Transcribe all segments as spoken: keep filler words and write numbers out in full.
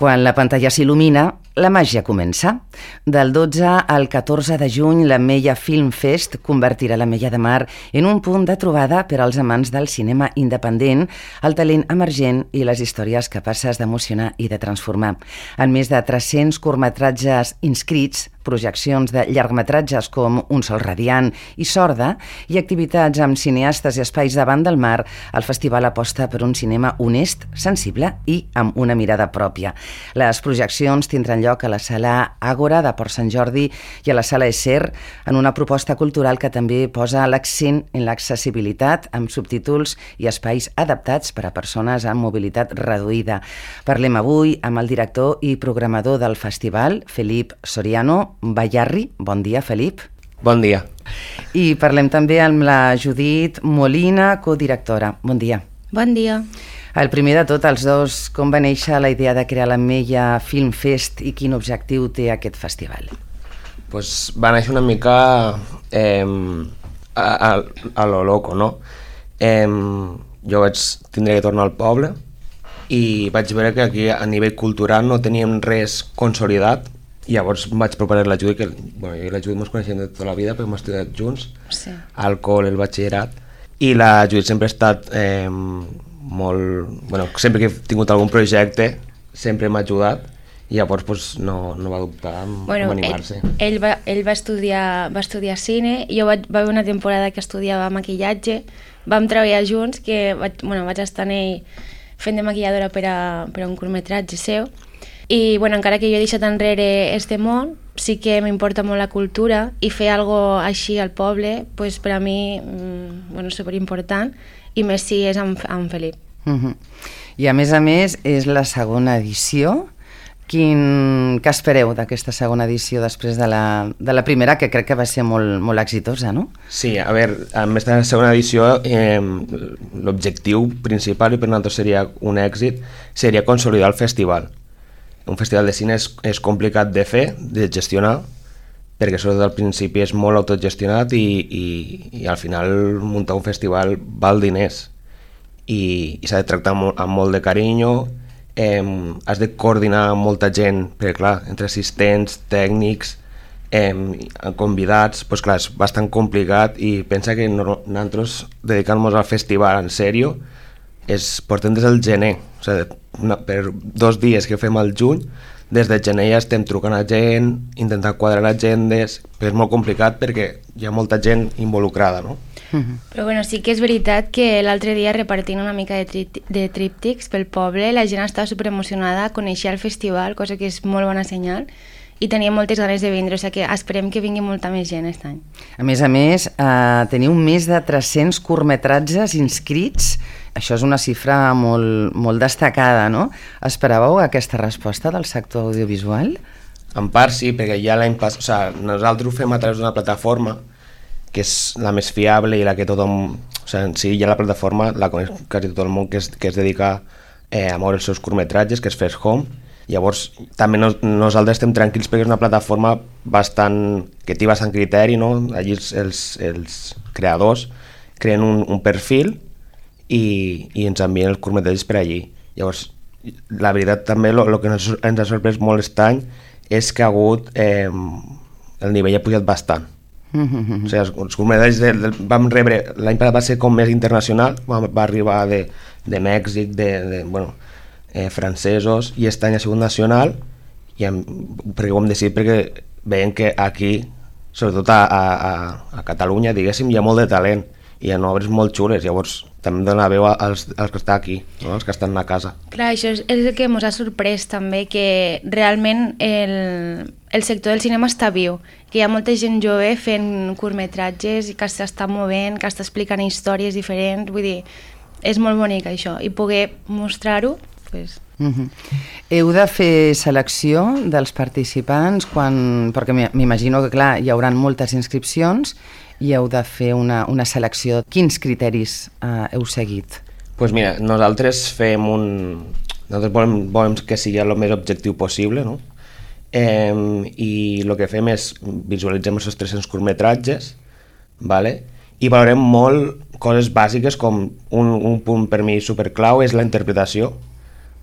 Quan la pantalla s'il·lumina, la màgia comença. Del dotze al catorze de juny, la Mella Film Fest convertirà la Mella de Mar en un punt de trobada per als amants del cinema independent, el talent emergent i les històries capaces d'emocionar i de transformar. En més de tres-cents curtmetratges inscrits, projeccions de llargmetratges com Un sol radiant i Sorda i activitats amb cineastes i espais davant del mar, el festival aposta per un cinema honest, sensible i amb una mirada pròpia. Les projeccions tindran lloc a la Sala Àgora de Port Sant Jordi i a la Sala Esser, en una proposta cultural que també posa l'accent en l'accessibilitat amb subtítols i espais adaptats per a persones amb mobilitat reduïda. Parlem avui amb el director i programador del festival, Felip Soriano Bayarri. Bon dia, Felip. Bon dia. I parlem també amb la Judit Molina, codirectora. Bon dia. Bon dia. El primer de tot, els dos, com va néixer la idea de crear la Mella Film Fest i quin objectiu té aquest festival? Pues va néixer una mica eh, a, a, a lo loco, no? Eh, jo vaig tindre que tornar al poble i vaig veure que aquí a nivell cultural no teníem res consolidat. I llavors vaig proposar la Judit, que bueno, jo i la Judit ens coneixem de tota la vida perquè hem estudiat junts, sí. Al col, el batxillerat, i la Judit sempre ha estat eh, molt... Bueno, sempre que he tingut algun projecte sempre m'ha ajudat i llavors pues, no, no va dubtar en, bueno, en animar-se. Ell, ell, va, ell va, estudiar, va estudiar cine, jo vaig, va haver una temporada que estudiava maquillatge, vam treballar junts, que vaig, bueno, vaig estar en ell fent de maquilladora per a, per a un curtmetratge seu. I bueno, encara que jo he deixat enrere este món, sí que m'importa molt la cultura i fer algo així al poble, pues, per a mi mmm, bueno, és superimportant, i més si és amb, amb Felip. Uh-huh. I a més a més és la segona edició. Quin... Què espereu d'aquesta segona edició després de la, de la primera, que crec que va ser molt, molt exitosa, no? Sí, a veure, a més de la segona edició, eh, l'objectiu principal, i per nosaltres seria un èxit, seria consolidar el festival. Un festival de cine és, és complicat de fer, de gestionar, perquè sobretot al principi és molt autogestionat i, i, i al final muntar un festival val diners i, i s'ha de tractar molt, amb molt de carinyo, eh, has de coordinar amb molta gent, perquè clar, entre assistents, tècnics, eh, convidats, doncs clar, és bastant complicat i pensa que no, nosaltres dedicant-nos al festival en sèrio és, portem des del gener, o sigui, una, per dos dies que fem al juny, des de gener ja estem trucant a gent, intentant quadrar agendes, però és molt complicat perquè hi ha molta gent involucrada, no? Uh-huh. Però bueno, sí que és veritat que l'altre dia repartint una mica de, tri- de tríptics pel poble, la gent estava superemocionada, coneixia el festival, cosa que és molt bona senyal, i tenia moltes ganes de vindre, o sigui que esperem que vingui molta més gent aquest any. A més a més, eh, teniu més de tres-cents curtmetratges inscrits. Això és una xifra molt, molt destacada, no? Esperàveu aquesta resposta del sector audiovisual? En part sí, perquè ja l'any passat... O sigui, nosaltres ho fem a través d'una plataforma que és la més fiable i la que tothom... O sigui, en si ja la plataforma la coneix quasi tot el món, que es, que es dedica eh, a moure els seus curtmetratges, que és First Home. Llavors, també nos, nosaltres estem tranquils perquè és una plataforma bastant, que té bastant criteri, no? Allí els, els, els creadors creen un, un perfil i, i ens envien els curtmetratges per allí. Llavors, la veritat també, el que ens, ens ha sorprès molt aquest any és que ha hagut, eh, el nivell ha pujat bastant. Mm-hmm. O sigui, els, els curtmetratges de, de, vam rebre, l'any passat va ser com més internacional, va, va arribar de, de Mèxic, de, de bueno, eh, francesos, i aquest any ha sigut nacional, i hem, perquè ho hem decidit perquè veiem que aquí, sobretot a, a, a Catalunya, diguéssim, hi ha molt de talent, i hi ha obres molt xules, llavors també dona veu als, als que estan aquí, no? Els que estan a casa. Clar, això és, és el que ens ha sorprès també, que realment el, el sector del cinema està viu, que hi ha molta gent jove fent curtmetratges i que s'està movent, que està explicant històries diferents, vull dir, és molt bonic això, i poder mostrar-ho, pues... Uh-huh. Heu de fer selecció dels participants quan... perquè m'imagino que clar, hi haurà moltes inscripcions i heu de fer una, una selecció. Quins criteris eh, heu seguit? Doncs pues mira, nosaltres fem un... Nosaltres volem, volem que sigui el més objectiu possible, no? Eh, I el que fem és visualitzem els tres-cents curtmetratges, vale? I valorem molt coses bàsiques com un, un punt per mi superclau és la interpretació.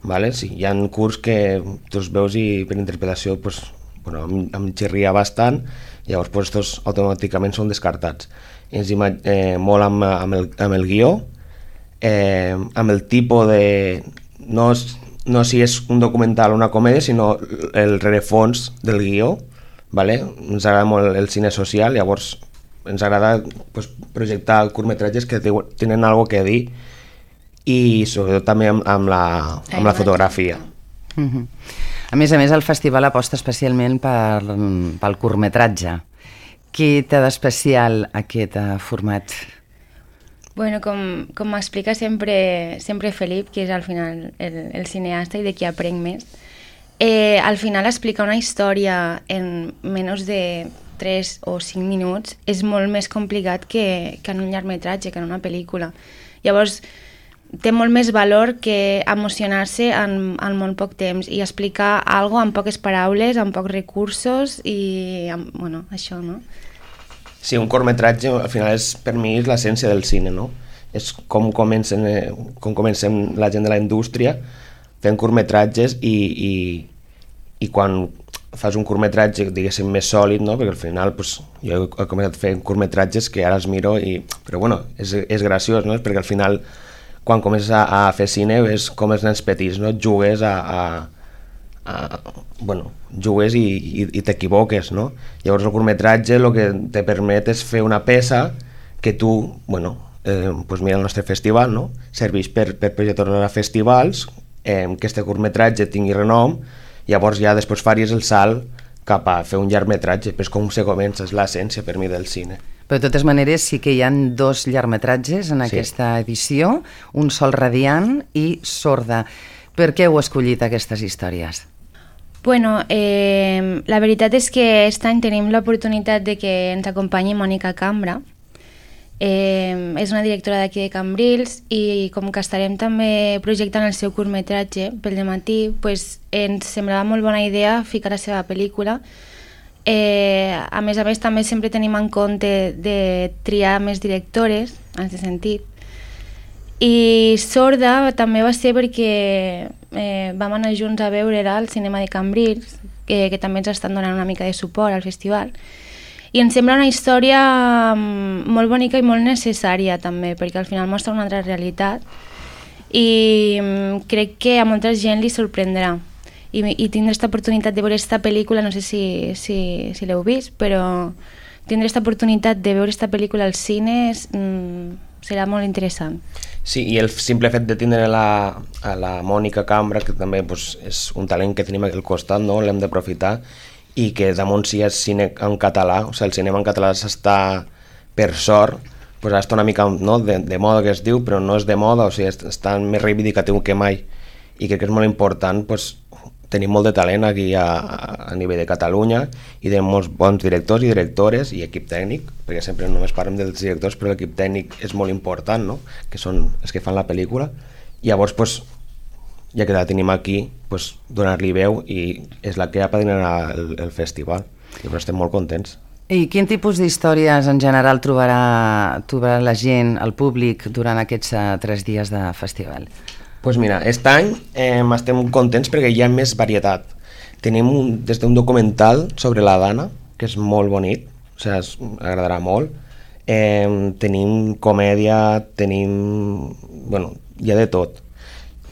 Vale? Sí, hi ha curs que tu els veus i per interpretació pues, bueno, em, em xirria bastant, llavors pues, estos automàticament són descartats. Ens eh, molt amb, amb, el, amb el guió, eh, amb el tipus de... No, no si és un documental o una comèdia, sinó el rerefons del guió. Vale? Ens agrada molt el cine social, llavors ens agrada pues, projectar curtmetratges que tenen alguna que dir i sobretot també amb, amb, la, amb la fotografia. Uh-huh. A més a més, el festival aposta especialment per, pel curtmetratge. Què té d'especial aquest uh, format? Bueno, com, com m'explica sempre, sempre Felip, que és al final el, el cineasta i de qui aprenc més, eh, al final explicar una història en menys de tres o cinc minuts és molt més complicat que, que en un llargmetratge, que en una pel·lícula. Llavors, té molt més valor que emocionar-se en, en molt poc temps i explicar alguna cosa amb poques paraules, amb pocs recursos i, amb, bueno, això, no? Sí, un curtmetratge al final és, per mi, és l'essència del cine, no? És com comencem, com comencem la gent de la indústria fent curtmetratges i, i, i quan fas un curtmetratge, diguéssim, més sòlid, no? Perquè al final pues, jo he començat fent curtmetratges que ara els miro i... Però bueno, és, és graciós, no? Perquè al final quan comences a, a fer cine és com els nens petits, no? Jugues a, a, a bueno, jugues i, i, i t'equivoques, no? Llavors el curtmetratge el que te permet és fer una peça que tu, bueno, eh, pues mira el nostre festival, no? Serveix per, per projectar a festivals, eh, que este curtmetratge tingui renom, llavors ja després faries el salt cap a fer un llargmetratge, però és com se comença, és l'essència per mi del cine. Però de totes maneres sí que hi ha dos llargmetratges en aquesta sí. edició, Un sol radiant i Sorda. Per què heu escollit aquestes històries? Bueno, eh, la veritat és que aquest any tenim l'oportunitat de que ens acompanyi Mònica Cambra. Eh, és una directora d'aquí de Cambrils i com que estarem també projectant el seu curtmetratge pel dematí, pues, ens semblava molt bona idea ficar la seva pel·lícula. Eh, a més a més també sempre tenim en compte de triar més directores en aquest sentit i Sorda també va ser perquè eh, vam anar junts a veure-la al cinema de Cambrils que, que també ens estan donant una mica de suport al festival i ens sembla una història molt bonica i molt necessària també perquè al final mostra una altra realitat i crec que a molta gent li sorprendrà i, i tindre aquesta oportunitat de veure aquesta pel·lícula, no sé si, si, si l'heu vist, però tindre aquesta oportunitat de veure aquesta pel·lícula al cine mm, serà molt interessant. Sí, i el simple fet de tindre la, a la Mònica Cambra, que també pues, és un talent que tenim aquí al costat, no? L'hem d'aprofitar, i que damunt si és cine en català, o sigui, el cinema en català s'està, per sort, pues, està una mica no, de, de moda que es diu, però no és de moda, o sigui, està més reivindicatiu que mai, i crec que és molt important pues, tenim molt de talent aquí a, a nivell de Catalunya i de molts bons directors i directores i equip tècnic, perquè sempre només parlem dels directors, però l'equip tècnic és molt important, no? Que són els que fan la pel·lícula. I llavors, pues, ja que la tenim aquí, pues, donar-li veu i és la que apadrinarà el, el festival. Llavors estem molt contents. I quin tipus d'històries en general trobarà, trobarà la gent, el públic, durant aquests uh, tres dies de festival? Pues mira, aquest any eh, estem contents perquè hi ha més varietat. Tenim un, des d'un documental sobre la Dana, que és molt bonic, o sigui, es, agradarà molt. Eh, tenim comèdia, tenim... bueno, hi ha de tot.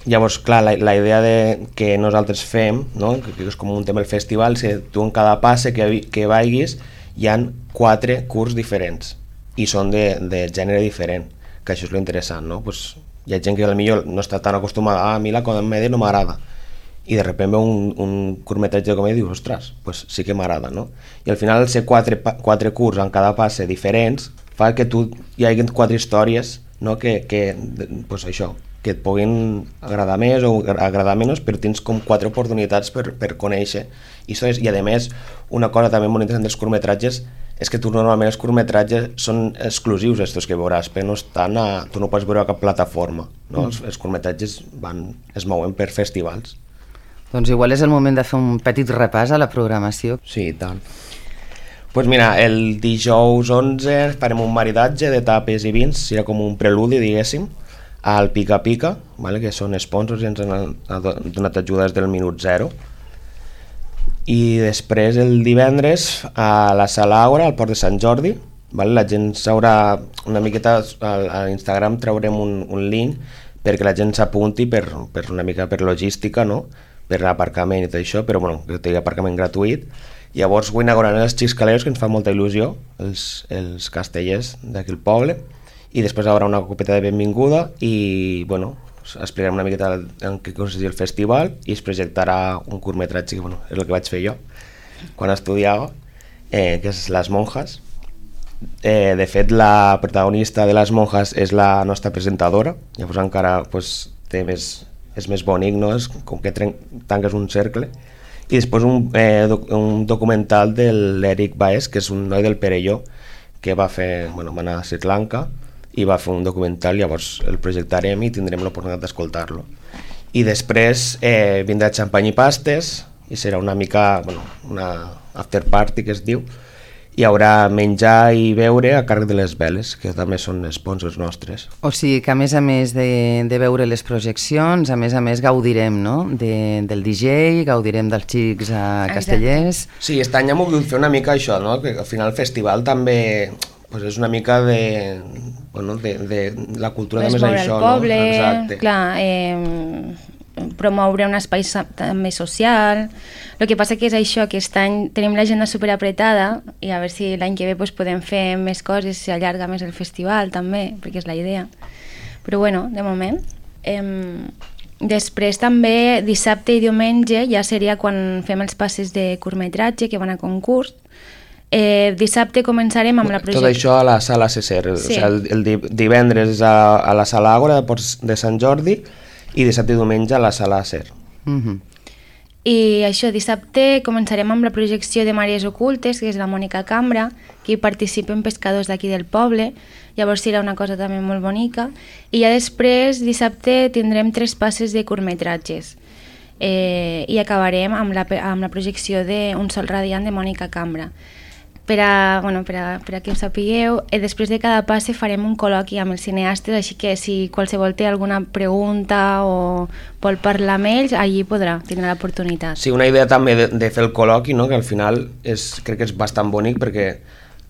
Llavors, clar, la, la idea de que nosaltres fem, no? que, que és com un tema del festival, és que tu en cada passe que, que vagis hi ha quatre curs diferents i són de, de gènere diferent, que això és lo interessant, no? Pues, hi ha gent que potser no està tan acostumada a mi la comèdia no m'agrada i de sobte veu un, un curtmetratge de comèdia i dius, ostres, pues sí que m'agrada, no? I al final ser quatre, quatre curs en cada passe diferents fa que tu hi hagi quatre històries, no? que, que pues això, que et puguin agradar més o agradar menys, però tens com quatre oportunitats per, per conèixer històries. I a més, una cosa també molt interessant dels curtmetratges és que tu normalment els curtmetratges són exclusius estos que veuràs, però no estan a, tu no pots veure a cap plataforma, no? Mm. Els, els curtmetratges van, es mouen per festivals. Doncs igual és el moment de fer un petit repàs a la programació. Sí, i tant. Pues mira, el dijous onze farem un maridatge de tapes i vins, serà com un preludi, diguéssim, al Pica Pica, vale? Que són sponsors i ens han donat ajudes del minut zero. I després el divendres a la Sala Àgora, al Port de Sant Jordi, vale? La gent s'haurà una miqueta, a Instagram traurem un, un link perquè la gent s'apunti per, per una mica per logística, no? Per l'aparcament i tot això, però bueno, que té aparcament gratuït. Llavors ho inauguran els xiscaleros, que ens fa molta il·lusió, els, els castellers d'aquí al poble, i després hi haurà una copeta de benvinguda i bueno, explicarem una miqueta en què consistia el festival i es projectarà un curtmetratge que bueno, és el que vaig fer jo quan estudiava, eh, que és Les Monjas. Eh, de fet, la protagonista de Les Monjas és la nostra presentadora, llavors encara pues, té més, és més bonic, no? És com que tanques un cercle. I després un, eh, doc, un documental de l'Eric Baez, que és un noi del Perelló, que va fer, bueno, va anar a Sri Lanka i va fer un documental, llavors el projectarem i tindrem l'oportunitat d'escoltar-lo. I després eh, vindrà xampany i pastes, i serà una mica, bueno, una after party que es diu, hi haurà menjar i beure a càrrec de les veles, que també són sponsors nostres. O sigui que a més a més de, de veure les projeccions, a més a més gaudirem, no? De, del D J, gaudirem dels xics a Castellers... Sí, aquest any hem volgut fer una mica això, no? Que al final el festival també pues, és una mica de, bueno, de, de la cultura pues també és això, el poble, no? Exacte. Clar, eh, promoure un espai també social. El que passa que és això, aquest any tenim l'agenda superapretada i a veure si l'any que ve pues, podem fer més coses, s'allarga més el festival també, perquè és la idea. Però bueno, de moment. Eh, després també dissabte i diumenge ja seria quan fem els passes de curtmetratge que van a concurs. Eh, dissabte començarem amb la projecció. Tot això a la Sala Cesser, sí. O sigui, el, el divendres a, a la Sala Àgora de Sant Jordi i dissabte i diumenge a la Sala Ser. Uh-huh. I això, dissabte començarem amb la projecció de Màries Ocultes, que és la Mònica Cambra, que hi participen pescadors d'aquí del poble, llavors serà una cosa també molt bonica. I ja després, dissabte, tindrem tres passes de curtmetratges. Eh, I acabarem amb la, amb la projecció d'Un sol radiant de Mònica Cambra. Per a, bueno, per a, per a que ho sapigueu, eh, després de cada passe farem un col·loqui amb els cineastes, així que si qualsevol té alguna pregunta o vol parlar amb ells, allí podrà, tindrà l'oportunitat. Sí, una idea també de, de fer el col·loqui, no? Que al final és, crec que és bastant bonic perquè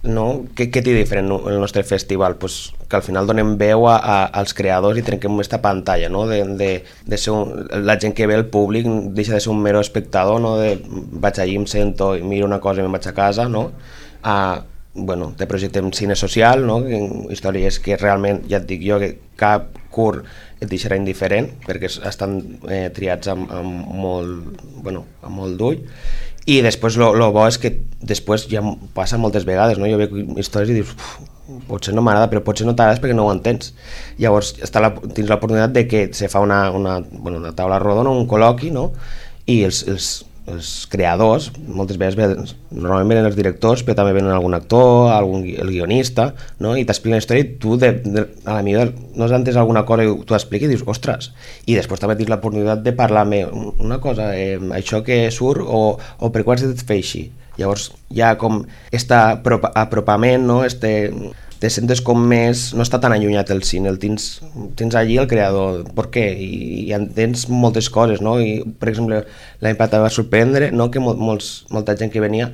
no? Què, què té diferent el nostre festival? Pues que al final donem veu a, a, als creadors i trenquem aquesta pantalla, no? De, de, de ser un, la gent que ve al públic deixa de ser un mero espectador, no? De, vaig allí, em sento, miro una cosa i me'n vaig a casa, no? A, bueno, te projectem cine social, no? Històries que realment, ja et dic jo, que cap curt et deixarà indiferent, perquè estan eh, triats amb, amb molt, bueno, amb molt d'ull. I després el bo és que després ja passa moltes vegades, no? Jo veig històries i dius, potser no m'agrada, però potser no t'agrada perquè no ho entens. Llavors està la, tens l'oportunitat de que se fa una, una, bueno, una taula rodona, un col·loqui, no? I els, els els creadors, moltes vegades venen, normalment venen els directors, però també venen algun actor, algun, el guionista, no? I t'expliquen la història i tu de, de, a la millor no has entès alguna cosa i tu expliques i dius, ostres, i després també tens l'oportunitat de parlar-me una cosa, eh, això que surt o, o per què has de fer així. Llavors hi ha com este apropament, no? Este, te sentes com més, no està tan allunyat el cine, el tens, tens allí el creador, per què? I, i entens moltes coses, no? I, per exemple, l'any passat va sorprendre, no? Que mol, molts, molta gent que venia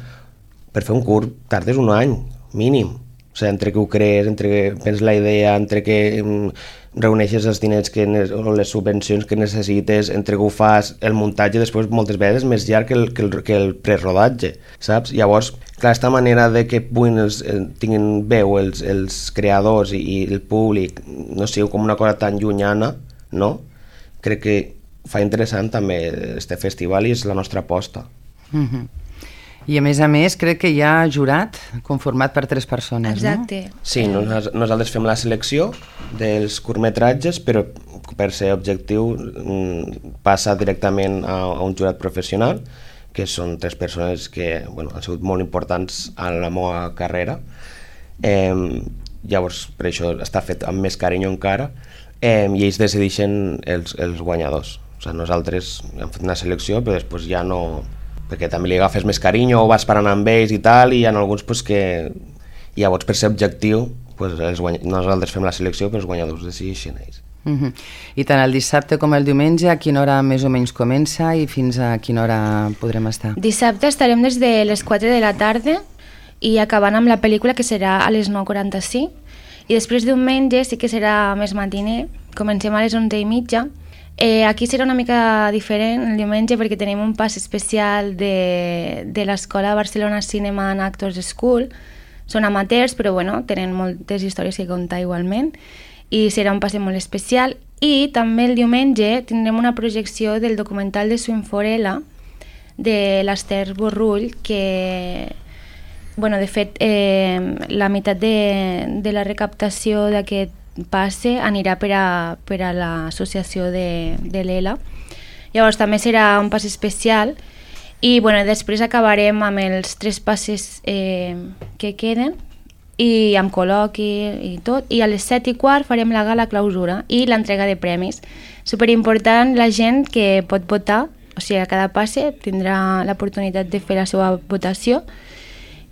per fer un curt tardes un any, mínim. O sigui, entre que ho crees, entre que penses la idea, entre que um, reuneixes els diners que o les subvencions que necessites, entre que ho fas, el muntatge després moltes vegades més llarg que el, que el, que el prerodatge, saps? Llavors, clar, aquesta manera de que puguin els, tinguin veu els, els creadors i, i el públic, no sigui com una cosa tan llunyana, no? Crec que fa interessant també este festival i és la nostra aposta. Mm-hmm. I a més a més crec que hi ha jurat conformat per tres persones. Exacte. No? Sí, nos, nosaltres fem la selecció dels curtmetratges, però per ser objectiu passa directament a, a un jurat professional, que són tres persones que bueno, han sigut molt importants en la meva carrera. Eh, llavors, per això està fet amb més carinyo encara, eh, i ells decideixen els, els guanyadors. O sigui, nosaltres hem fet una selecció, però després ja no... perquè també li agafes més carinyo o vas parant amb ells i tal, i hi ha alguns pues, que llavors per ser objectiu pues, els guany... nosaltres fem la selecció però els guanyadors decideixen ells. Uh-huh. I tant el dissabte com el diumenge, a quina hora més o menys comença i fins a quina hora podrem estar? Dissabte estarem des de les quatre de la tarda i acabant amb la pel·lícula, que serà a les nou quaranta-cinc, i després diumenge sí que serà més matiner, comencem a les onze i mitja. Eh, aquí serà una mica diferent el diumenge perquè tenim un pas especial de, de l'Escola Barcelona Cinema and Actors School. Són amateurs, però bueno, tenen moltes històries que contar igualment, i serà un passe molt especial. I també el diumenge tindrem una projecció del documental de Swinforella de l'Ester Borrull, que, bueno, de fet, eh, la meitat de, de la recaptació d'aquest passe anirà per a, per a l'associació de, de l'Ela. Llavors també serà un passe especial i, bueno, després acabarem amb els tres passes eh, que queden i amb col·loqui i tot, i a les set i quart farem la gala clausura i l'entrega de premis. Superimportant, la gent que pot votar, o sigui, a cada passe tindrà l'oportunitat de fer la seva votació,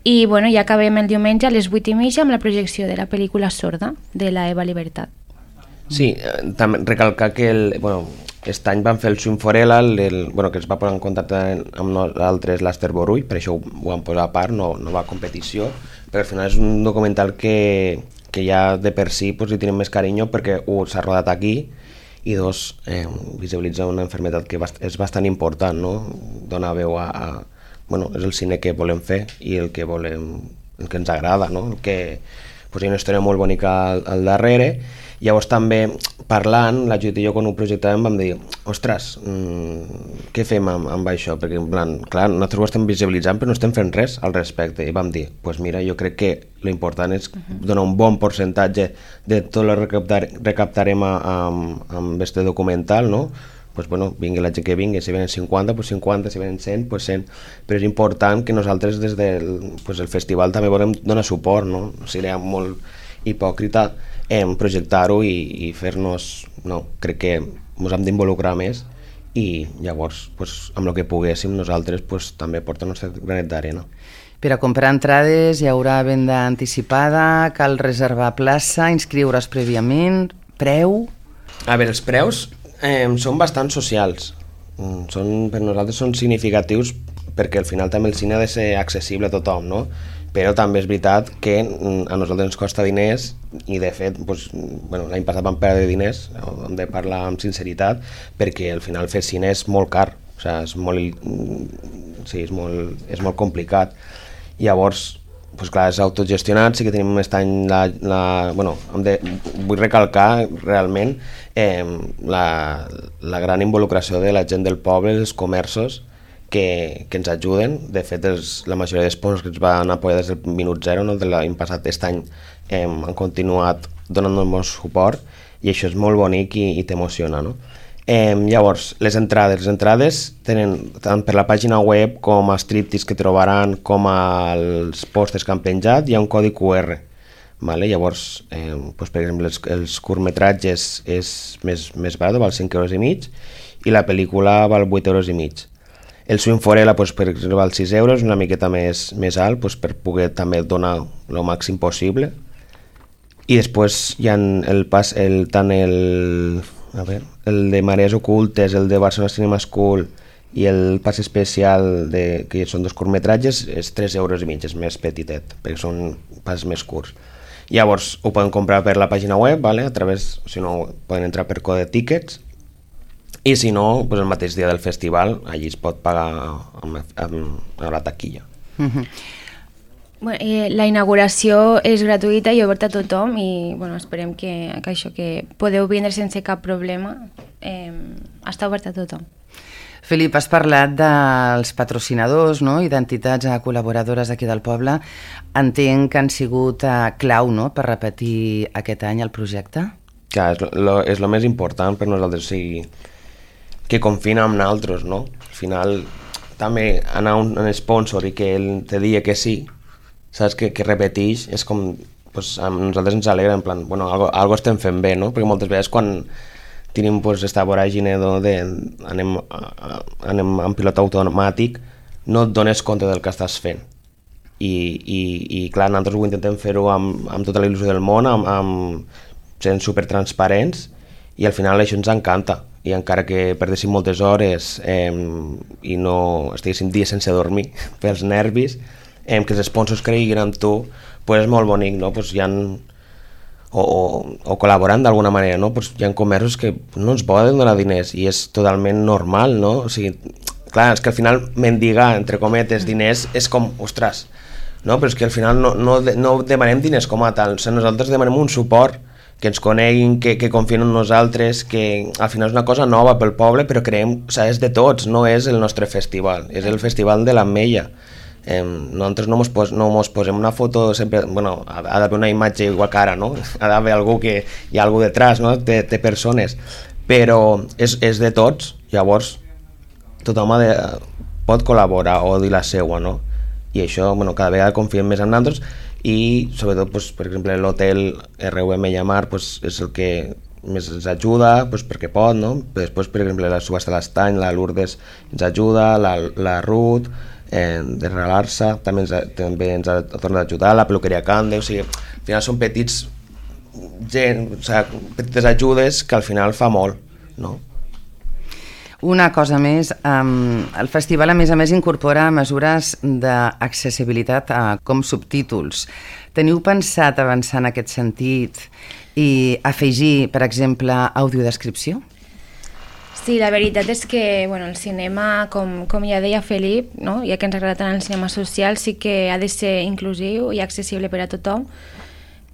i bueno, ja acabem el diumenge a les vuit i mitja amb la projecció de la pel·lícula Sorda, de la Eva Libertad. Sí, també recalcar que el, bueno, aquest any van fer el Swinforella, el, el, bueno, que es va posar en contacte amb nosaltres l'Ester Borrull, per això ho, ho vam posar a part, no, no va a competició, però al final és un documental que, que ja de per si pues, li tenim més carinyo perquè un, s'ha rodat aquí i dos, eh, visibilitza una malaltia que és bastant important, no? Dona veu a, a... Bueno, és el cine que volem fer i el que volem, el que ens agrada, no? El que, pues, hi ha una història molt bonica al, al darrere. Llavors també parlant, la Judit i jo quan ho projectàvem vam dir, ostres, mmm, què fem amb, amb això? Perquè en plan, clar, nosaltres ho estem visibilitzant però no estem fent res al respecte, i vam dir, doncs pues mira, jo crec que l'important és donar un bon percentatge de tot el que recaptar, recaptarem a, a, amb este documental, no? Pues bueno, vingui la gent que vingui, si venen cinquanta, pues cinquanta, si venen cent, pues cent, però és important que nosaltres des del pues el festival també volem donar suport, no? Seria molt hipòcrita eh, projectar-ho i, i fer-nos... No, crec que ens hem d'involucrar més i llavors, pues, amb el que poguéssim nosaltres pues, també portar el nostre granet d'arena. Per a comprar entrades hi haurà venda anticipada, cal reservar plaça, inscriure's prèviament, preu... A veure, els preus eh, són bastant socials, són, per nosaltres són significatius perquè al final també el cine ha de ser accessible a tothom, no? Però també és veritat que a nosaltres ens costa diners i de fet doncs, bueno, l'any passat vam perdre diners, hem de parlar amb sinceritat, perquè al final fer cine és molt car, o sigui, és molt, sí, és molt, és molt complicat. Llavors, doncs clar, és autogestionat, sí que tenim aquest any la, la, bueno, de, vull recalcar realment eh, la, la gran involucració de la gent del poble, els comerços, que, que ens ajuden. De fet, els, la majoria d'esponsors que ens van apoyar des del minut zero, no, de l'any passat, aquest any eh, han continuat donant-nos molt suport i això és molt bonic i, i t'emociona, no? Eh, llavors, les entrades. Les entrades tenen tant per la pàgina web com a striptease que trobaran, com als pòsters que han penjat, hi ha un codi cu erre. Vale? Llavors, eh, doncs, per exemple, els, els curtmetratges és més, més barat, val cinc euros i mig, i la pel·lícula val vuit euros i mig. El Swinforella, doncs, per exemple, val sis euros, una miqueta més, més alt, doncs, per poder també donar el màxim possible. I després hi ha el pas, el, tant el, a veure, el de Marees Ocultes, el de Barcelona Cinema School i el pas especial, de, que són dos curtmetratges, és tres euros i mig, és més petitet, perquè són pas més curts. Llavors ho poden comprar per la pàgina web, vale? A través, si no, poden entrar per code tickets, i si no, doncs el mateix dia del festival allí es pot pagar amb, amb, amb la taquilla. Uh-huh. Bueno, eh, la inauguració és gratuïta i oberta a tothom i bueno, esperem que, que això que podeu vindre sense cap problema, eh, està oberta a tothom. Felip, has parlat dels patrocinadors, no? I d'entitats col·laboradores aquí del poble. Entenc que han sigut uh, clau, no?, per repetir aquest any el projecte? Clar, és lo, és lo més important per nosaltres, o sigui, que confina amb nosaltres, no? Al final, també anar a un, un sponsor i que ell te digui que sí, saps, que, que repeteix, és com, pues, a nosaltres ens alegra, en plan, bueno, algo, algo estem fent bé, no? Perquè moltes vegades quan tenim pues, esta voràgine de anem, a, anem en pilot automàtic, no et dones compte del que estàs fent. I, i, i clar, nosaltres ho intentem fer-ho amb, amb tota la il·lusió del món, amb, amb sent supertransparents, i al final això ens encanta, i encara que perdéssim moltes hores eh, i no estiguéssim dies sense dormir pels nervis, eh, que els sponsors creguin en tu, pues és molt bonic, no? Pues hi ha, o, o, o col·laborant d'alguna manera, no? Pues hi ha comerços que no ens poden donar diners i és totalment normal, no? O sigui, clar, és que al final mendigar, entre cometes, diners és com, ostres, no? Però és que al final no, no, no demanem diners com a tal, o sigui, nosaltres demanem un suport, que ens coneguin, que, que confien en nosaltres, que al final és una cosa nova pel poble, però creiem, o sigui, és de tots, no és el nostre festival, és el festival de l'Ametlla. Eh, nosaltres no mos, pos, no mos posem una foto sempre, bueno, ha, ha d'haver una imatge igual que ara, no? Ha d'haver algú que hi ha algú detrás, no? Té, té persones, però és, és de tots, llavors tothom ha de, pot col·laborar o dir la seua, no? I això, bueno, cada vegada confiem més en nosaltres, i sobretot, pues, per exemple, l'hotel R U M Llamar pues, és el que més ens ajuda, pues, perquè pot, no? Després, per exemple, la subhasta de l'Estany, la Lourdes ens ajuda, la, la Ruth eh, de Regalar-se també ens, també ens ha tornat a ajudar, la peluqueria Cande, o sigui, al final són petits gent, o sigui, petites ajudes que al final fa molt, no? Una cosa més, um, el festival a més a més incorpora mesures d'accessibilitat uh, com subtítols. Teniu pensat avançar en aquest sentit i afegir, per exemple, audiodescripció? Sí, la veritat és que bueno, el cinema, com, com ja deia Felip, no? Ja que ens agrada tant el cinema social, sí que ha de ser inclusiu i accessible per a tothom.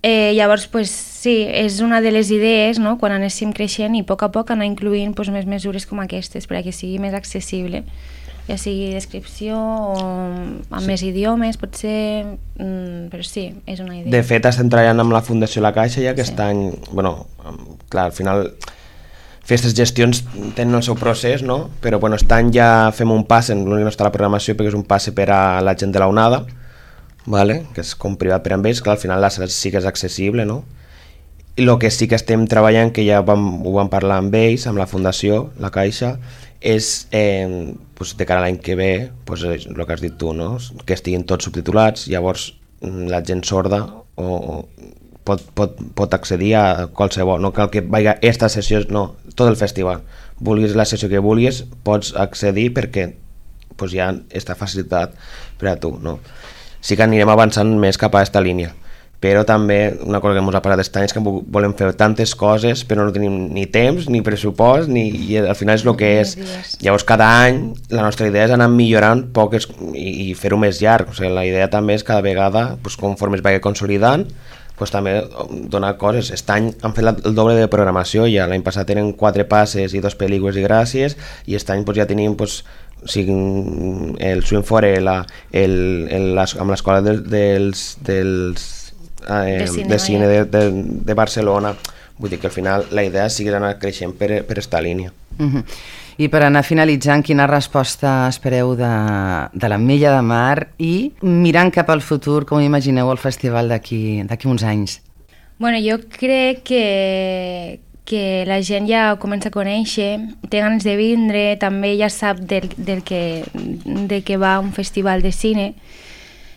Eh, llavors, pues, sí, és una de les idees, no?, quan anéssim creixent i a poc a poc anar incluint pues, més mesures com aquestes perquè sigui més accessible, ja sigui descripció o amb sí. més idiomes, potser, mm, però sí, és una idea. De fet, estem treballant amb la Fundació La Caixa ja aquest sí. any, bueno, clar, al final festes gestions tenen el seu procés, no? Però bueno, aquest any ja fem un passe, l'únic no està a la programació perquè és un passe per a la gent de la onada, vale? Que és com privat per a ells, clar, al final la sala sí que és accessible, no? I el que sí que estem treballant, que ja vam, ho vam parlar amb ells, amb la Fundació, la Caixa, és eh, pues, de cara a l'any que ve, pues, el que has dit tu, no? Que estiguin tots subtitulats, llavors la gent sorda o, o pot, pot, pot accedir a qualsevol, no cal que vagi a esta sessió, no, tot el festival. Vulguis la sessió que vulguis, pots accedir perquè pues, hi ha aquesta facilitat per a tu, no? Sí que anirem avançant més cap a aquesta línia, però també una cosa que ens ha parlat aquest any és que volem fer tantes coses però no tenim ni temps, ni pressupost, ni, i al final és el que és. Llavors cada any la nostra idea és anar millorant poques i, i fer-ho més llarg, o sigui, la idea també és cada vegada, pues, conforme es vagi consolidant, pues, també donar coses. Aquest any han fet el doble de programació, ja l'any passat tenen quatre passes i dos pel·lícules i gràcies, i aquest any pues, ja tenim pues, o sigui, el Swim Forella, el, el, el, amb l'escola de, dels, dels, eh, de cine, de, cine de, de, de Barcelona. Vull dir que al final la idea sigui anar creixent per, per esta línia. Uh-huh. I per anar finalitzant, quina resposta espereu de, de l'Ametlla de Mar i mirant cap al futur, com imagineu el festival d'aquí d'aquí uns anys? Bueno, jo crec que, que la gent ja ho comença a conèixer, té ganes de vindre, també ja sap del, del que, de què va un festival de cine.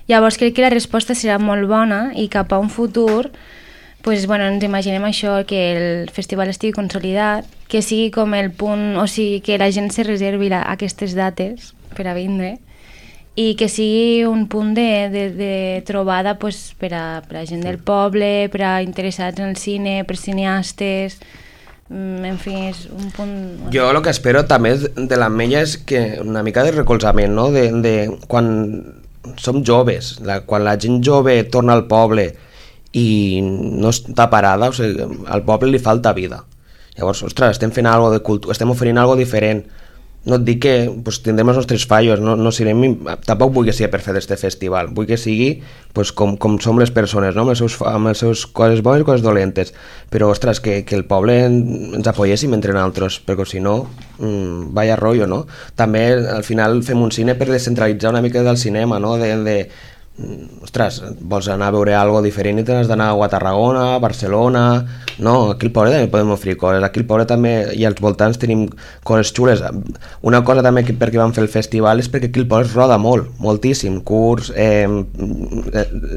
Llavors crec que la resposta serà molt bona i cap a un futur pues, bueno, ens imaginem això, que el festival estigui consolidat, que sigui com el punt, o sigui, que la gent se reservi la, aquestes dates per a vindre i que sigui un punt de, de, de trobada pues, per, a, per a gent del poble, per a interessats en el cine, per cineastes, en fi, és un punt... Jo el que espero també de l'Ametlla és que una mica de recolzament, no? De, de quan som joves, la, quan la gent jove torna al poble i no està parada, o sigui, al poble li falta vida. Llavors, ostres, estem fent algo de cultura, estem oferint algo diferent. No et dic que pues, tindrem els nostres fallos, no, no serem, tampoc vull que sigui perfecte este festival, vull que sigui pues, com, com som les persones, no? amb, els seus, amb les seves coses bones i coses dolentes, però ostres, que, que el poble ens apoyéssim entre nosaltres, perquè si no, mmm, vaya rotllo, no? També al final fem un cine per descentralitzar una mica del cinema, no? De, de, ostres, vols anar a veure algo diferent i t'has d'anar a Tarragona, a Barcelona, no, aquí al poble també podem oferir coses, aquí al poble també i als voltants tenim coses xules. Una cosa també que perquè vam fer el festival és perquè aquí al poble es roda molt, moltíssim, curts, eh,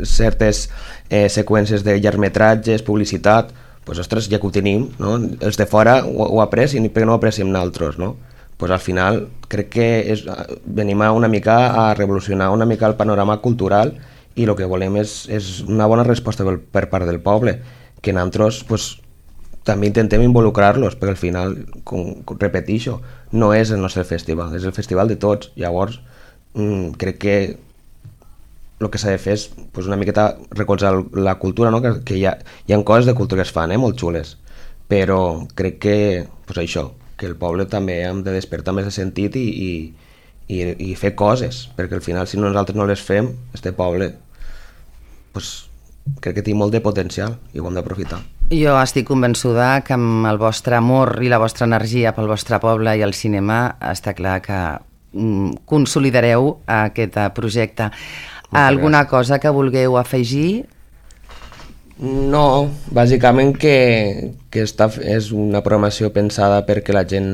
certes eh, seqüències de llargmetratges, publicitat, pues, ostres, ja que ho tenim, no? Els de fora ho, ho aprecien i per què no ho apreciem nosaltres, no? Pues al final crec que és, venim a una mica a revolucionar una mica el panorama cultural i el que volem és, és una bona resposta per, per part del poble, que nosaltres pues, també intentem involucrar-los, perquè al final, com, com repeteixo, no és el nostre festival, és el festival de tots. Llavors, mmm, crec que el que s'ha de fer és pues, una miqueta recolzar la cultura, no? que, que hi, ha, hi ha coses de cultura que es fan, eh? Molt xules, però crec que pues, això, que el poble també hem de despertar més de sentit i, i, i, i fer coses, perquè al final si nosaltres no les fem, este poble pues, crec que té molt de potencial i ho hem d'aprofitar. Jo estic convençuda que amb el vostre amor i la vostra energia pel vostre poble i el cinema està clar que mm, consolidareu aquest projecte. Moltes Alguna gràcies. Cosa que vulgueu afegir? No, bàsicament que, que està, és una programació pensada perquè la gent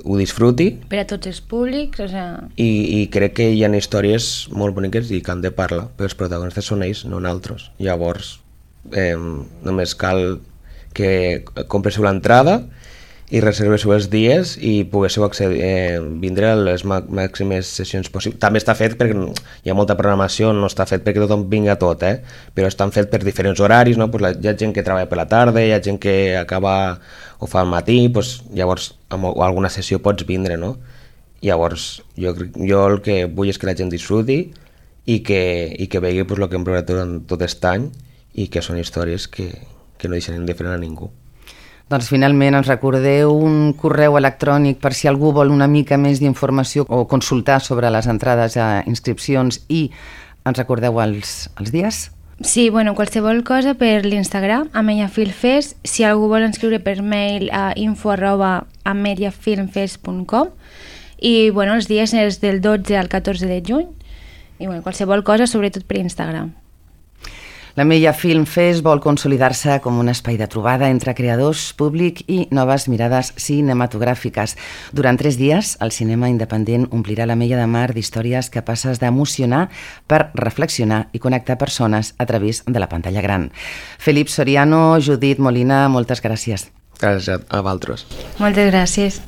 ho disfruti. Per a tots els públics, o sea... I, i crec que hi ha històries molt boniques i que han de parlar, però els protagonistes són ells, no nosaltres. Llavors, eh, només cal que compreu l'entrada i reserveu els dies i poguéssiu accedir, eh, vindre a les màximes sessions possibles. També està fet perquè hi ha molta programació, no està fet perquè tothom vinga tot, eh? Però estan fet per diferents horaris, no? Pues la, hi ha gent que treballa per la tarda, hi ha gent que acaba o fa al matí, pues, llavors a alguna sessió pots vindre, no? Llavors jo, jo el que vull és que la gent disfruti i que, i que vegi pues, el que hem provat durant tot aquest any i que són històries que, que no deixen indiferent a ningú. Doncs finalment ens recordeu un correu electrònic per si algú vol una mica més d'informació o consultar sobre les entrades a inscripcions i ens recordeu els, els dies? Sí, bueno, qualsevol cosa per l'Instagram, Ametlla Film Fest. Si algú vol inscriure per mail a info arroba ametlla film fest punt com i bueno, els dies és del dotze al catorze de juny i bueno, qualsevol cosa, sobretot per Instagram. L'Ametlla Film Fest vol consolidar-se com un espai de trobada entre creadors, públic i noves mirades cinematogràfiques. Durant tres dies, el cinema independent omplirà l'Ametlla de Mar d'històries capaces d'emocionar per reflexionar i connectar persones a través de la pantalla gran. Felip Soriano, Judit Molina, moltes gràcies. Gràcies a vosaltres. Moltes gràcies.